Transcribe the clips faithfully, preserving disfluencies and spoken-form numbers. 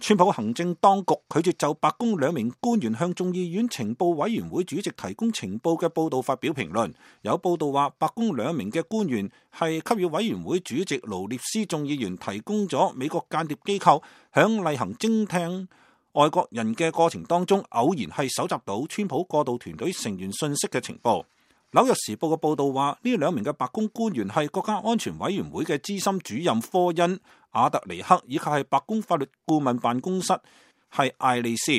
川普行政當局拒絕就白宮兩名官員向眾議院情報委員會主席提供情報嘅報道發表評論。有報道話，白宮兩名嘅官員係給予委員會主席勞列斯眾議員提供咗美國間諜機構響例行偵聽外國人嘅過程當中，偶然係搜集到川普過渡團隊成員信息嘅情報。紐約時報嘅報道話，呢兩名嘅白宮官員係國家安全委員會嘅資深主任科恩·亞特尼克，以及係白宮法律顧問辦公室係艾利斯。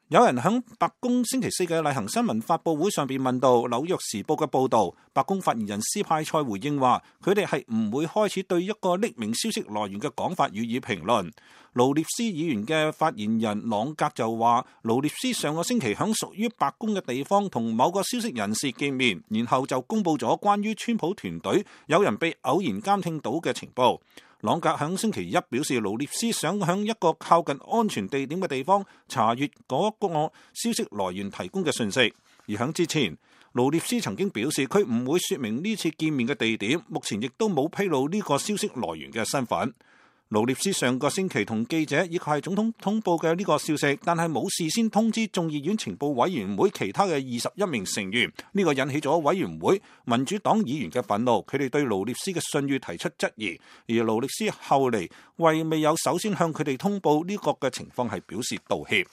有人喺白宮星期四嘅例行新聞發佈會上邊問到紐約時報嘅報導，白宮發言人斯派塞回應話，佢哋係唔會開始對一個匿名消息來源嘅講法予以評論。勞列斯議員嘅發言人朗格就話，勞列斯上個星期喺屬於白宮嘅地方同某個消息人士見面，然後就公佈咗關於川普團隊有人被偶然監聽到嘅情報。朗格喺星期一表示，勞列斯想喺一個靠近安全地點嘅地方查閱嗰個消息來源提供嘅信息。而喺之前，勞列斯曾經表示佢唔會說明呢次見面嘅地點，目前亦都冇披露呢個消息來源嘅身份。勞列斯上個星期同記者以及係總統通報嘅呢個消息，但係冇事先通知眾議院情報委員會其他嘅二十一名成員，呢個引起咗委員會民主黨議員嘅憤怒，佢哋對勞列斯嘅信譽提出質疑，而勞列斯後嚟為未有首先向佢哋通報呢個嘅情況係表示道歉。